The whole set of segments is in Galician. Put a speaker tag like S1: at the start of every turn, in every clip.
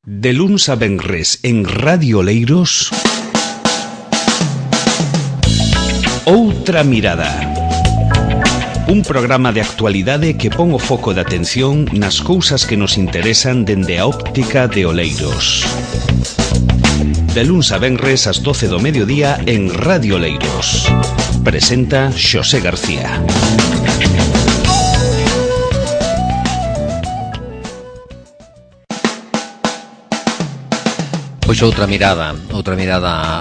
S1: De luns a venres en Radio Oleiros, Outra Mirada. Un programa de actualidade que pon o foco de atención nas cousas que nos interesan dende a óptica de Oleiros. De luns a venres ás 12 do mediodía en Radio Oleiros. Presenta Xosé García.
S2: Pois outra mirada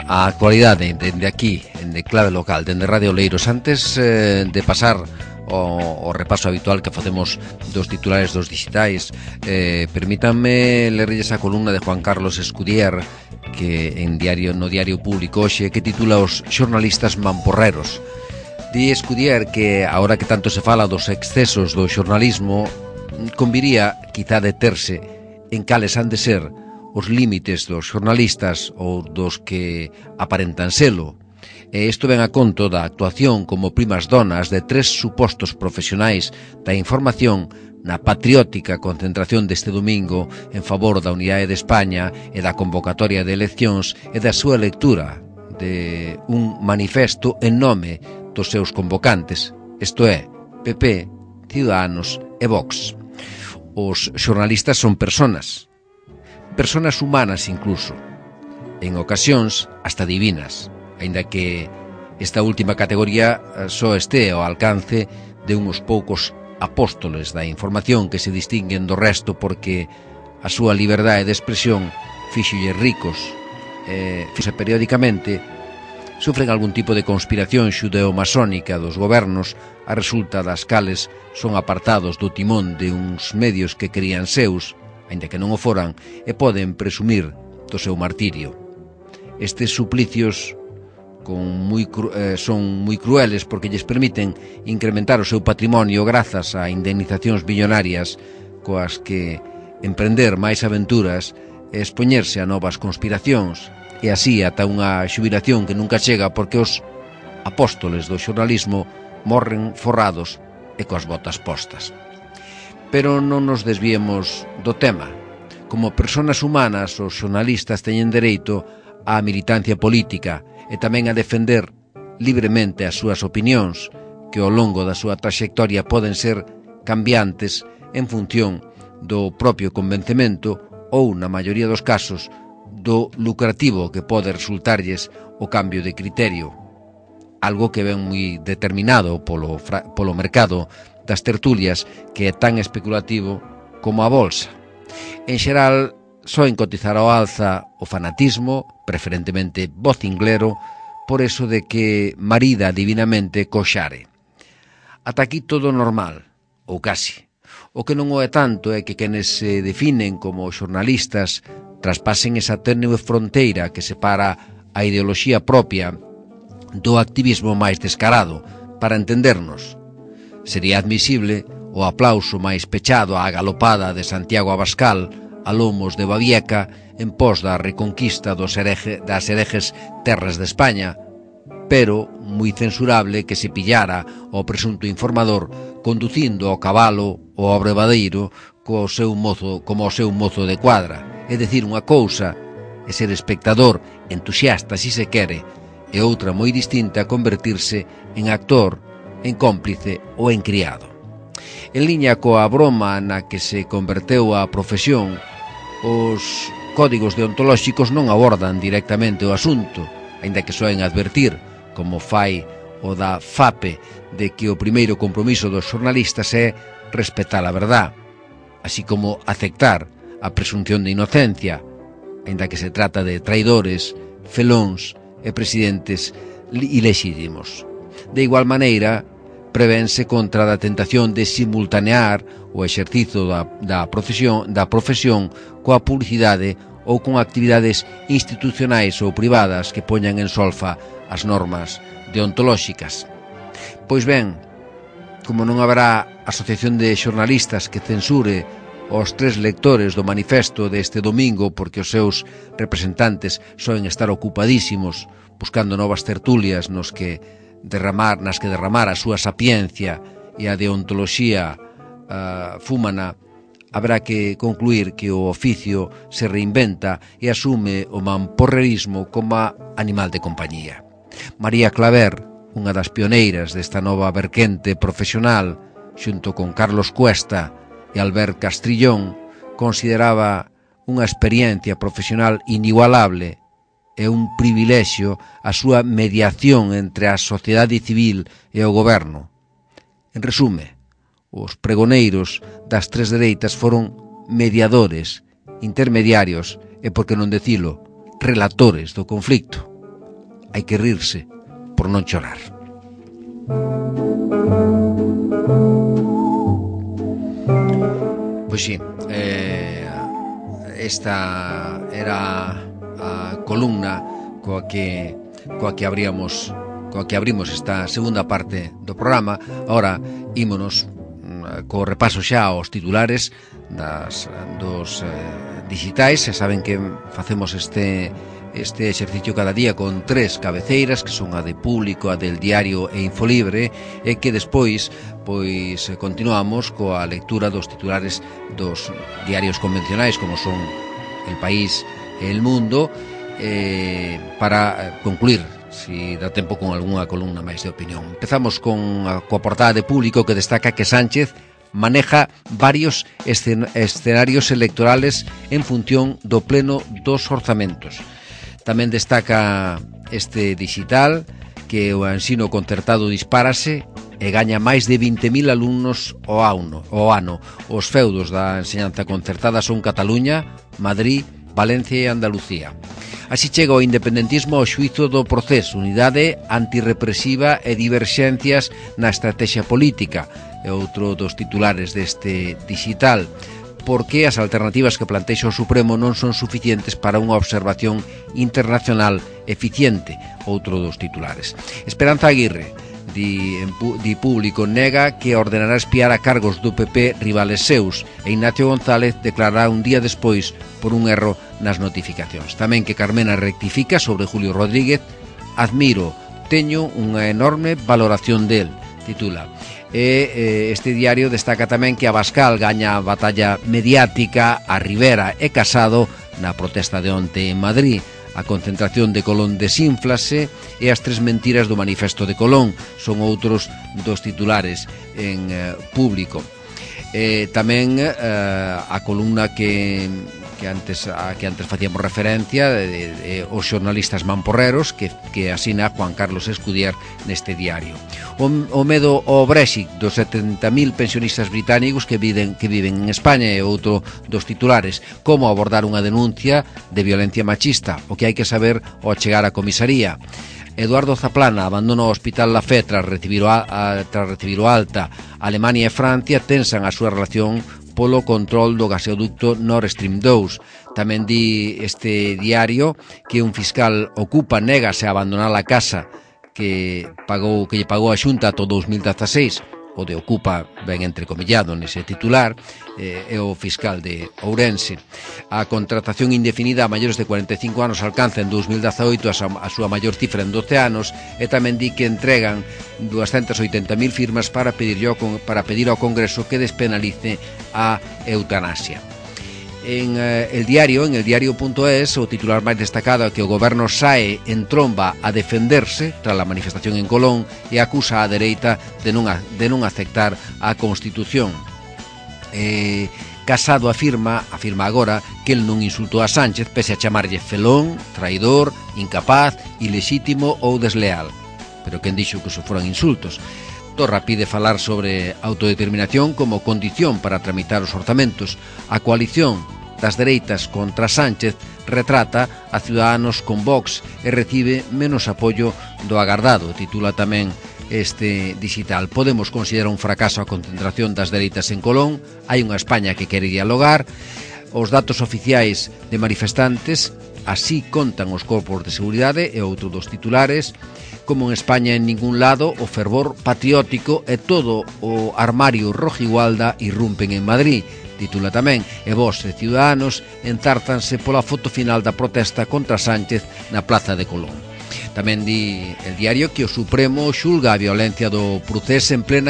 S2: á actualidade dende aquí, dende Clave Local, dende Radio Oleiros. Antes de pasar o repaso habitual que facemos dos titulares dos digitais, permítanme lerrelles a columna de Juan Carlos Escudier que no Diario Público hoxe, que titula Os xornalistas mamporreros. Di Escudier que agora que tanto se fala dos excesos do xornalismo, conviría quizá deterse en cales han de ser os límites dos xornalistas ou dos que aparentan selo. E isto ven a conto da actuación como primas donas de 3 supostos profesionais da información na patriótica concentración deste domingo en favor da unidade de España e da convocatoria de eleccións e da súa lectura de un manifesto en nome dos seus convocantes, isto é, PP, Ciudadanos e Vox. Os xornalistas son personas humanas incluso, en ocasións hasta divinas, aínda que esta última categoría só este ao alcance de uns poucos apóstoles da información que se distinguen do resto porque a súa liberdade de expresión fíxolle ricos e periódicamente sufren algún tipo de conspiración xudeo-masónica dos gobernos a resulta das cales son apartados do timón de uns medios que querían seus, aínda que non o foran, e poden presumir do seu martirio. Estes suplicios son moi crueles porque lles permiten incrementar o seu patrimonio grazas a indemnizacións billonarias coas que emprender máis aventuras e expoñerse a novas conspiracións e así ata unha xubilación que nunca chega porque os apóstoles do xornalismo morren forrados e coas botas postas. Pero non nos desviemos do tema. Como persoas humanas, os xornalistas teñen dereito á militancia política e tamén a defender libremente as súas opinións, que ao longo da súa traxectoria poden ser cambiantes en función do propio convencemento ou, na maioría dos casos, do lucrativo que pode resultarlles o cambio de criterio, algo que ven moi determinado polo mercado das tertulias, que é tan especulativo como a bolsa. En xeral, soen cotizar ao alza o fanatismo, preferentemente vocinglero, por eso de que marida divinamente co xare. Ata aquí todo normal, ou casi. O que non o é tanto é que quenes se definen como xornalistas traspasen esa tenue fronteira que separa a ideoloxía propia do activismo máis descarado. Para entendernos, sería admisible o aplauso máis pechado á galopada de Santiago Abascal a lomos de Babieca en pos da reconquista das herejes terras de España, pero moi censurable que se pillara o presunto informador conducindo ao cabalo ou ao brevadeiro como o seu mozo de cuadra. É dicir, unha cousa é ser espectador, entusiasta si se quere, e outra moi distinta convertirse en actor, en cómplice ou en criado. En liña coa broma na que se converteu a profesión, os códigos deontolóxicos non abordan directamente o asunto, aínda que soen advertir, como fai o da FAPE, de que o primeiro compromiso dos xornalistas é respetar a verdad, así como aceptar a presunción de inocencia, aínda que se trata de traidores, felóns e presidentes ilexítimos. De igual maneira, prevense contra a tentación de simultanear o exercizo da profesión coa publicidade ou con actividades institucionais ou privadas que poñan en solfa as normas deontolóxicas. Pois ben, como non haberá asociación de xornalistas que censure os 3 lectores do manifesto deste domingo porque os seus representantes soen estar ocupadísimos buscando novas tertulias nas que derramar a súa sapiencia e a deontoloxía fúmana haberá que concluir que o oficio se reinventa e asume o mamporrerismo como animal de compañía. María Claver, unha das pioneiras desta nova verquente profesional, xunto con Carlos Cuesta e Albert Castrillón, consideraba unha experiencia profesional inigualable e un privilexio a súa mediación entre a sociedade civil e o goberno. En resume, os pregoneiros das tres dereitas foron mediadores, intermediarios e, por que non dicilo, relatores do conflicto. Hai que rirse por non chorar. Pois sí, esta era a columna coa que abrimos esta segunda parte do programa. Ahora ímonos co repaso xa aos titulares dos digitais. E saben que facemos este exercicio cada día con tres cabeceiras, que son a de Público, a del Diario e Infolibre, e que despois continuamos coa lectura dos titulares dos diarios convencionais, como son El País e El Mundo, para concluir, si dá tempo, con algunha columna máis de opinión. Empezamos coa portada de Público, que destaca que Sánchez maneja varios escenarios electorales en función do pleno dos orzamentos. Tamén destaca este digital que o ensino concertado dispárase e gaña máis de 20.000 alumnos ao ano. Os feudos da enseñanza concertada son Cataluña, Madrid, Valencia e Andalucía. Así chega o independentismo ao xuízo do proceso, unidade antirrepresiva e diverxencias na estrategia política. É outro dos titulares deste digital, porque as alternativas que plantexa o Supremo non son suficientes para unha observación internacional eficiente. Outro dos titulares. Esperanza Aguirre, di Público, nega que ordenará espiar a cargos do PP rivales seus, e Ignacio González declarará un día despois por un erro nas notificacións. Tamén que Carmena rectifica sobre Julio Rodríguez: admiro, teño unha enorme valoración del, titula. Este diario destaca tamén que Abascal gaña a batalla mediática a Rivera e Casado na protesta de onte en Madrid. A concentración de Colón desínflase e as tres mentiras do manifesto de Colón son outros dos titulares en Público. Tamén a columna que antes facíamos referencia, os xornalistas mamporreros, que asina Juan Carlos Escudier neste diario. O medo ao Brexit dos 70.000 pensionistas británicos que viven en España é outro dos titulares. Como abordar unha denuncia de violencia machista, o que hai que saber ao chegar á comisaría. Eduardo Zaplana abandona o Hospital La Fe tras recibir o alta. Alemania e Francia tensan a súa relación polo control do gasoducto Nord Stream 2. Tamén di este diario que un fiscal ocupa négase a abandonar a casa que lle pagou a Xunta ata o 2016. O de ocupa ben entrecomillado nese titular, é o fiscal de Ourense. A contratación indefinida a maiores de 45 anos alcanza en 2018 a súa maior cifra en 12 anos, e tamén di que entregan 280.000 firmas para pedir ao Congreso que despenalice a eutanasia. En el diario.es, o titular máis destacado é que o goberno sae en tromba a defenderse tras a manifestación en Colón e acusa a dereita de non aceptar a Constitución. Casado afirma agora que el non insultou a Sánchez pese a chamarlle felón, traidor, incapaz, ilexítimo ou desleal. Pero quen dixo que eso foran insultos? Torra pide falar sobre autodeterminación como condición para tramitar os orzamentos. A coalición das dereitas contra Sánchez retrata a Ciudadanos con Vox e recibe menos apoio do agardado, titula tamén este digital. Podemos considerar un fracaso a concentración das dereitas en Colón. Hai unha España que quere dialogar. Os datos oficiais de manifestantes así contan os corpos de seguridade, e outro dos titulares. Como en España en ningún lado, o fervor patriótico e todo o armario rojigualda irrumpen en Madrid, titula tamén. E Vox e Ciudadanos enzártanse pola foto final da protesta contra Sánchez na Plaza de Colón. Tamén di el diario que o Supremo xulga a violencia do Procés en plena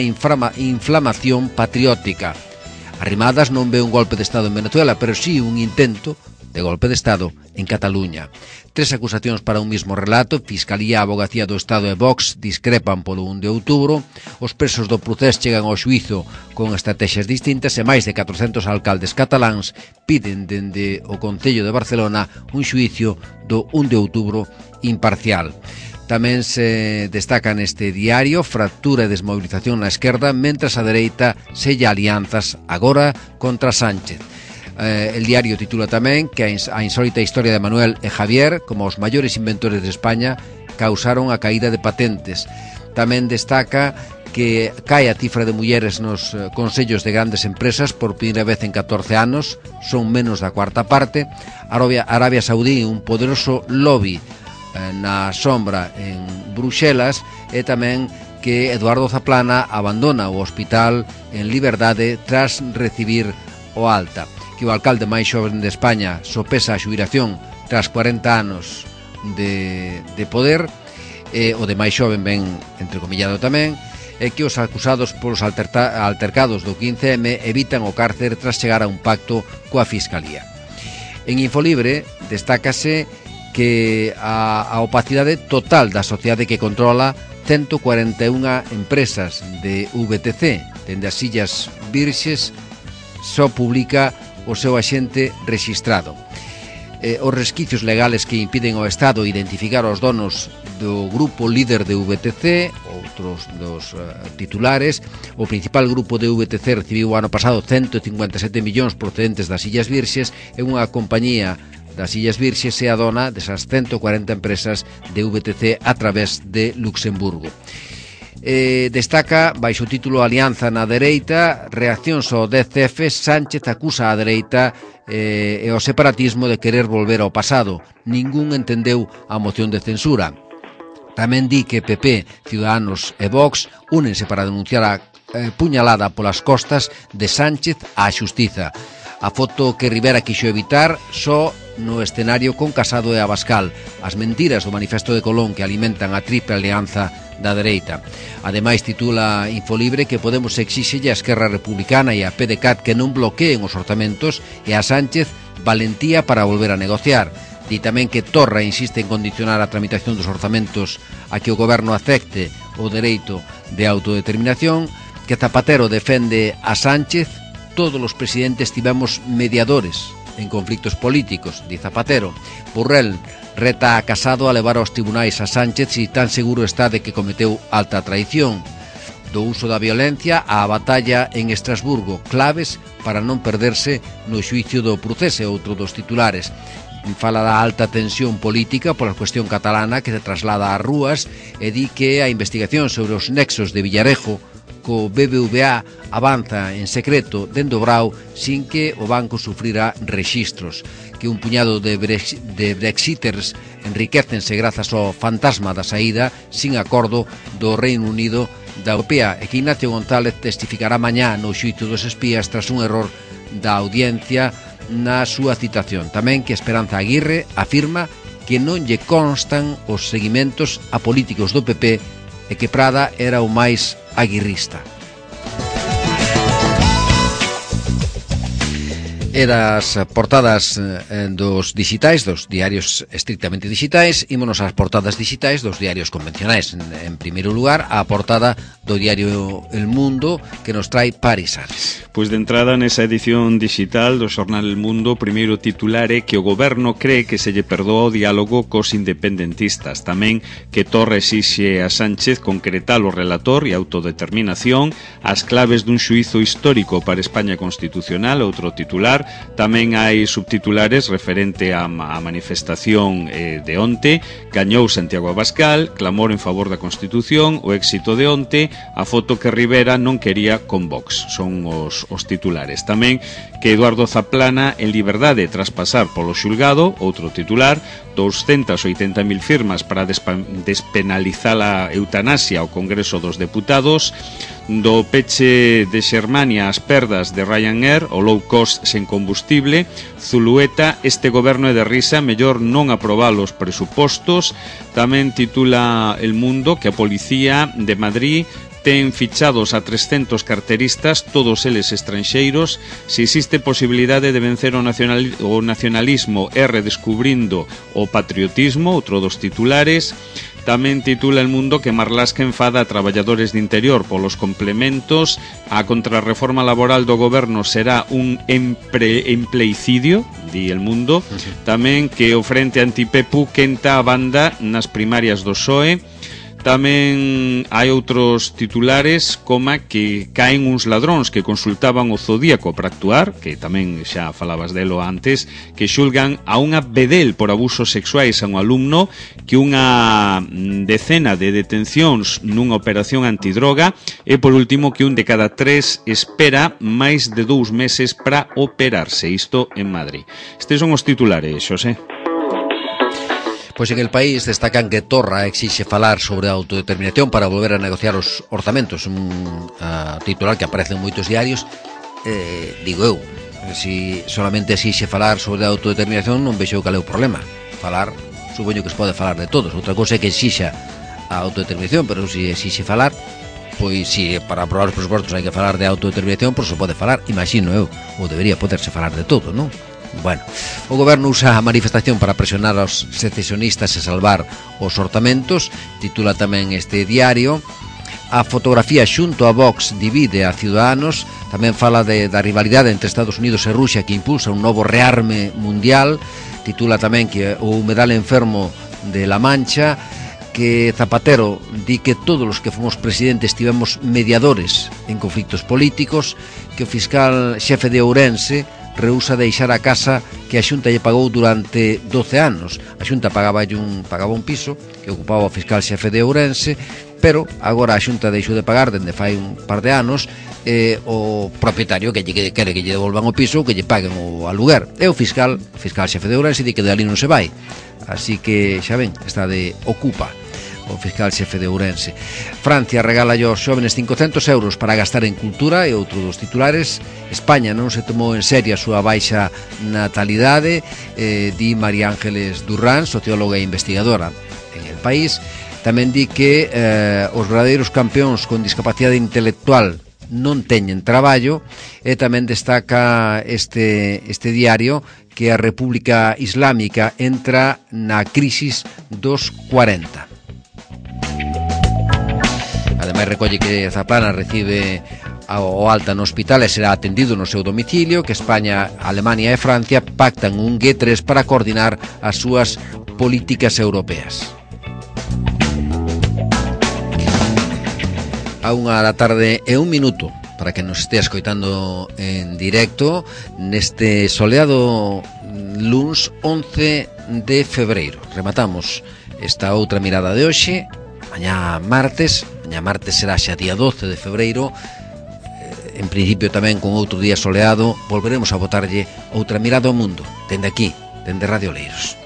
S2: inflamación patriótica. Arrimadas non ve un golpe de Estado en Venezuela, pero sí un intento de golpe de Estado en Cataluña. 3 acusacións para un mismo relato. Fiscalía, Abogacía do Estado e Vox discrepan polo 1 de outubro. Os presos do procés chegan ao xuízo con estrategias distintas e máis de 400 alcaldes cataláns piden dende o Concello de Barcelona un xuízo do 1 de outubro imparcial. Tamén se destaca neste diario fractura e desmovilización na esquerda, mentras a dereita sella alianzas agora contra Sánchez. El diario titula tamén que a insólita historia de Manuel e Javier, como os maiores inventores de España, causaron a caída de patentes. Tamén destaca que cae a cifra de mulleres nos consellos de grandes empresas por primeira vez en 14 anos, son menos da cuarta parte. Arabia Saudí, un poderoso lobby na sombra en Bruxelas, e tamén que Eduardo Zaplana abandona o hospital en liberdade tras recibir o alta, que o alcalde máis xoven de España sopesa a xubilación tras 40 anos de poder, o de máis xoven ben entrecomillado tamén, e que os acusados polos altercados do 15M evitan o cárcer tras chegar a un pacto coa Fiscalía. En Infolibre destácase que a opacidade total da sociedade que controla 141 empresas de VTC, dende as Illas Virxes, só publica o seu axente rexistrado. Os resquicios legales que impiden ao Estado identificar os donos do grupo líder de VTC, outros dos titulares. O principal grupo de VTC recibiu o ano pasado 157 millóns procedentes das Illas Virxes, e unha compañía das Illas Virxes é a dona desas 140 empresas de VTC a través de Luxemburgo. Destaca, baixo o título Alianza na dereita, reaccións ao 10F, Sánchez acusa a dereita e o separatismo de querer volver ao pasado. Ningún entendeu a moción de censura. Tamén di que PP, Ciudadanos e Vox únense para denunciar a puñalada polas costas de Sánchez á xustiza. A foto que Rivera quixo evitar só no escenario con Casado e Abascal, as mentiras do manifesto de Colón que alimentan a triple alianza da dereita. Ademais, titula Infolibre que Podemos exíxelle a Esquerra Republicana e a PDeCAT que non bloqueen os orzamentos e a Sánchez valentía para volver a negociar. Di tamén que Torra insiste en condicionar a tramitación dos orzamentos a que o goberno acepte o dereito de autodeterminación, que Zapatero defende a Sánchez. Todos os presidentes tivemos mediadores en conflictos políticos, di Zapatero. Borrell reta a Casado a levar aos tribunais a Sánchez si tan seguro está de que cometeu alta traición. Do uso da violencia á batalla en Estrasburgo, claves para non perderse no xuicio do Procés, outro dos titulares. Fala da alta tensión política pola cuestión catalana que se traslada ás rúas e di que a investigación sobre os nexos de Villarejo co BBVA avanza en secreto dende o Brao sin que o banco sufrira rexistros, que un puñado de brexiters enriquécense grazas ao fantasma da saída sin acordo do Reino Unido da Europea, e que Ignacio González testificará mañá no xuízo dos espías tras un error da audiencia na súa citación. Tamén que Esperanza Aguirre afirma que non lle constan os seguimentos a políticos do PP e que Prada era o máis aguirrista. E das portadas dos digitais, dos diarios estrictamente digitais, ímonos ás portadas digitais dos diarios convencionais. En primeiro lugar, a portada do diario El Mundo, que nos trae Paris Ares.
S1: Pois de entrada nesa edición digital do xornal El Mundo, primeiro titular é que o goberno cree que se lle perdoa o diálogo cos independentistas. Tamén que Torra exixe a Sánchez concretar o relator e autodeterminación, as claves dun xuízo histórico para España constitucional, outro titular. Tamén hai subtitulares referente á manifestación de onte. Gañou Santiago Abascal, clamor en favor da Constitución, o éxito de onte, a foto que Rivera non quería con Vox. Son os titulares. Tamén que Eduardo Zaplana en liberdade tras pasar polo xulgado, outro titular. 280.000 firmas para despenalizar a eutanasia ao Congreso dos Deputados. Do peche de Xermania as perdas de Ryanair, o low cost sen combustible. Zulueta, este goberno é de risa, mellor non aprobar os presupostos. Tamén titula El Mundo que a Policía de Madrid ten fichados a 300 carteristas, todos eles estranxeiros. Se existe posibilidade de vencer o nacionalismo e redescubrindo o patriotismo, outro dos titulares. Tamén titula El Mundo que Marlaska enfada a traballadores de interior polos complementos. A contrarreforma laboral do goberno será un empleicidio, di El Mundo. Tamén que o Frente Antipepu quenta a banda nas primarias do PSOE. Tamén hai outros titulares como que caen uns ladróns que consultaban o Zodíaco para actuar, que tamén xa falabas delo antes, que xulgan a unha bedel por abusos sexuais a un alumno, que unha decena de detencións nunha operación antidroga e por último que un de cada 3 espera máis de 2 meses para operarse, isto en Madrid. Estes son os titulares, Xosé.
S2: Pois en el país destacan que Torra exixe falar sobre a autodeterminación para volver a negociar os orzamentos, un titular que aparece en moitos diarios. Digo eu, si solamente exixe falar sobre a autodeterminación non vexo cal é o problema. Falar, supoño que se pode falar de todos. Outra cousa é que exixa a autodeterminación, pero se exixe falar, pois si para aprobar os presupostos hai que falar de autodeterminación, pois se pode falar, imagino eu, ou debería poderse falar de todo, non? Bueno, o goberno usa a manifestación para presionar aos secesionistas e salvar os orzamentos. Titula tamén este diario. A fotografía xunto a Vox divide a Ciudadanos. Tamén fala da rivalidade entre Estados Unidos e Rusia que impulsa un novo rearme mundial. Titula tamén que o humedal enfermo de La Mancha, que Zapatero di que todos os que fomos presidentes tivemos mediadores en conflictos políticos, que o fiscal xefe de Ourense rehúsa deixar a casa que a Xunta lle pagou durante 12 anos. A Xunta pagaba un piso que ocupaba o fiscal xefe de Ourense, pero agora a Xunta deixou de pagar dende fai un par de anos o propietario que quere que lle devolvan o piso, que lle paguen o aluguer. E o fiscal xefe de Ourense di que de ali non se vai. Así que, xa ven, está de ocupa o fiscal xefe de Ourense. Francia regala aos xóvenes 500 euros para gastar en cultura e outro dos titulares. España non se tomou en serio a súa baixa natalidade, di María Ángeles Durrán, socióloga e investigadora en el país. Tamén di que os verdadeiros campeóns con discapacidade intelectual non teñen traballo, e tamén destaca este diario que a República Islámica entra na crisis dos 40. Ademais recolle que Zaplana recibe o alta no hospital e será atendido no seu domicilio, que España, Alemania e Francia pactan un G3 para coordinar as súas políticas europeas. A 1:00 e 1 minuto para que nos estea escoitando en directo neste soleado luns 11 de febreiro. Rematamos esta outra mirada de hoxe. Mañá martes será xa día 12 de febreiro. En principio tamén con outro día soleado volveremos a botarlle outra mirada ao mundo dende aquí, dende Radio Oleiros.